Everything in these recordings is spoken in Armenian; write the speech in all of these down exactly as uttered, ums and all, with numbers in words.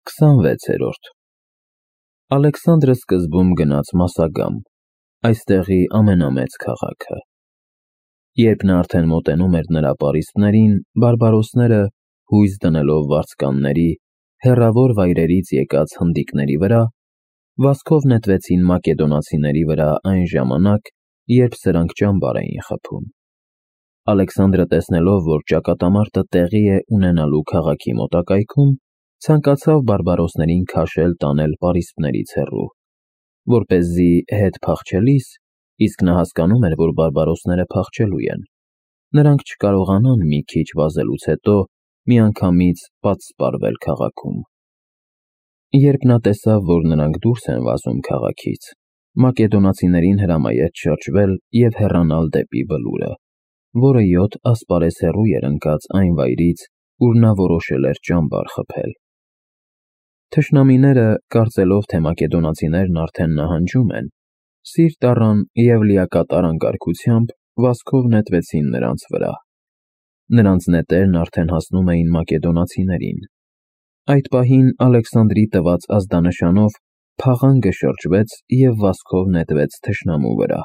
քսանվեցերորդ Ալեքսանդրը սկզբում գնաց Մասագամ, այստեղի ամենամեծ քաղաքը։ Երբ նա արդեն մոտենում էր նրա պարիսպներին, բարբարոսները, հույս դնելով վարձկանների, հեռավոր վայրերից եկած հնդիկների վրա, վազքով նետվեցին մակեդոնացիների վրա այն ժամանակ, երբ սրանք ճամբար էին խփում։ Ալեքսանդրը տեսնելով, որ ճակատամարտը տեղի է ունենալու քաղաքի մոտակայքում, ցանկացավ բարբարոսներին քաշել տանել պարիսպներից հեռու, որպեսզի հետ փախչելիս, իսկ նա հասկանում էր, որ բարբարոսները փախչելու են, նրանք չկարողանան մի քիչ վազելուց հետո միանգամից պատսպարվել քաղաքում։ Երբ նա տեսավ, որ նրանք դուրս են վազում քաղաքից, մակեդոնացիներին հրամայեց շրջվել և հեռանալ դեպի բլուրը, որը յոթ ասպարեզ հեռու էր ընկած այն վայրից, ուր նա որոշել էր ճամբար խփել։ Թշնամիները, կարծելով, թե մակեդոնացիներն արդեն նահանջում են, սիրտ առան և լիակատար անկարգությամբ վազքով նետվեցին նրանց վրա։ Նրանց նետերն արդեն հասնում էին մակեդոնացիներին։ Այդ պահին Ալեքսանդրի տված ազդանշանով փաղանգը շրջվեց և վազքով նետվեց թշնամու վրա։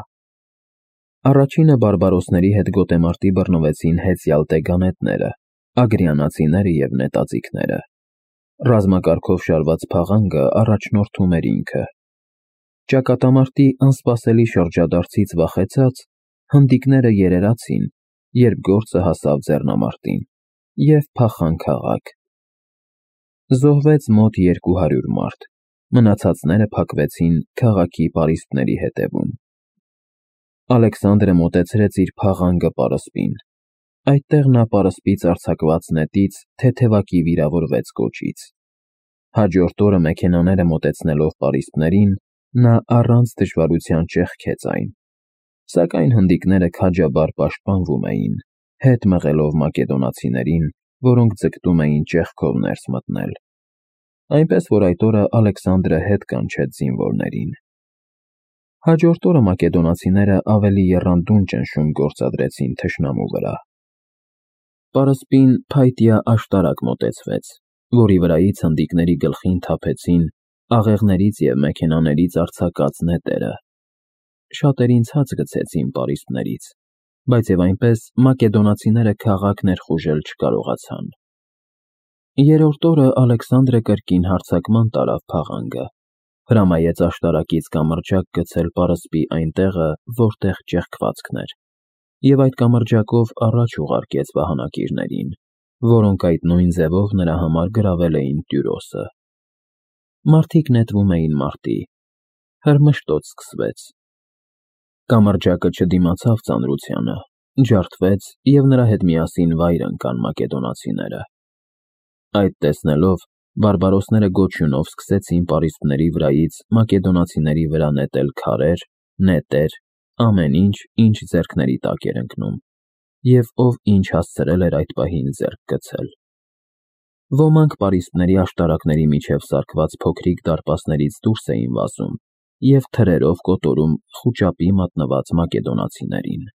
Առաջինը բարբարոսների հետ գոտեմարտի բռնվեցին հեծյալ տեգանետները, ագրիանացիները և նետաձիգները։ Ռազմակարգով շարված փաղանգը առաջնորդում էր ինքը։ Ճակատամարտի անսպասելի շրջադարձից վախեցած, հնդիկները երերացին, երբ գործը հասավ ձեռնամարտին, և փախան քաղաք։ Զոհվեց մոտ երկու հարյուր մարդ, մնացածները փակվեցին քաղաքի պարիսպների ետևում։ Ալեքսանդրը մոտեցրեց իր փաղանգը պարսպին։ Այդտեղ նա պարսպից արձակված նետից թեթևակի վիրավորվեց կոճից։ Հաջորդ օրը մեքենաները մոտեցնելով պարիսպներին, նա առանց դժվարության ճեղքեց այն, սակայն հնդիկները քաջաբար պաշտպանվում էին, հետ մղելով մակեդոնացիներին, որոնք ձգտում էին ճեղքով ներս մտնել։ Այնպես որ այդ օրը Ալեքսանդրը հետ կանչեց զինվորներին։ Հաջորդ օրը մակեդոնացիները ավելի եռանդուն ճնշում գործադրեցին թշնամու վրա։ Պարսպին փայտյա աշտարակ մոտեցվեց, որի վրայից հնդիկների գլխին թափեցին աղեղներից և մեքենաներից արձակած նետերը։ Շատերին ցած գցեցին պարիսպներից, բայց և այնպես մակեդոնացիները քաղաք ներխուժել չկարողացան։ Երրորդ օրը Ալեքսանդրը կրկին հարձակման տարավ փաղանգը, հրամայեց աշտարակից կամրջակ գցել պարսպի այն տեղը, որտեղ ճեղքվածքն էր, և այդ կամրջակով առաջ ուղարկեց վահանակիրներին, որոնք այդ նույն ձևով նրա համար գրավել էին տյուրոսը։ Մարդիկ նետվում էին մարտի։ Հրմշտոց սկսվեց։ Կամրջակը չդիմացավ ծանրությանը, ջարդվեց և նրա հետ միասին վայր ընկան մակեդոնացիները։ Այդ տեսնելով, բարբարոսները գոչյունով սկսեցին պարիսպների վրայից մակեդոնացիների վրա նետել քարեր, նետեր, ամեն ինչ, ինչ ձեռքների տակ էր ընկնում, և ով ինչ հասցրել էր այդ պահին ձեռք գցել։ Ոմանք պարիսպների աշտարակների միջև սարքված փոքրիկ դարպասներից դուրս էին վազում և թրերով կոտորում խուճապի մատնված մակեդոնացիներին։